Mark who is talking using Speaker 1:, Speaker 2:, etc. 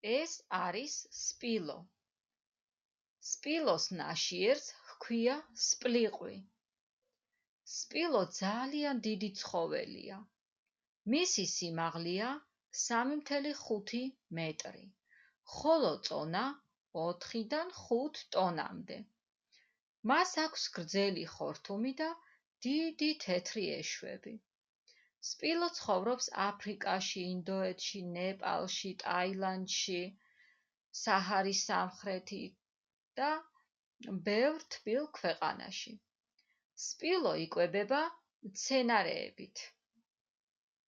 Speaker 1: ეს არის სპილო. სპილოს ნაშიერს ჰქვია სპლიყვი. სპილო ძალიან დიდი ცხოველია. მისი სიმაღლეა 3,5 მეტრი, ხოლო წონა 4-დან 5 ტონამდე. მას აქვს გრძელი ხორთუმი და დიდი თეთრი ეშვები. სპილო ცხოვრობს აფრიკაში, ინდოეთში, ნეპალში, ტაილანდში, საჰარის სამხრეთით და ბევრ თბილ ქვეყანაში. სპილო იკვებება მცენარეებით.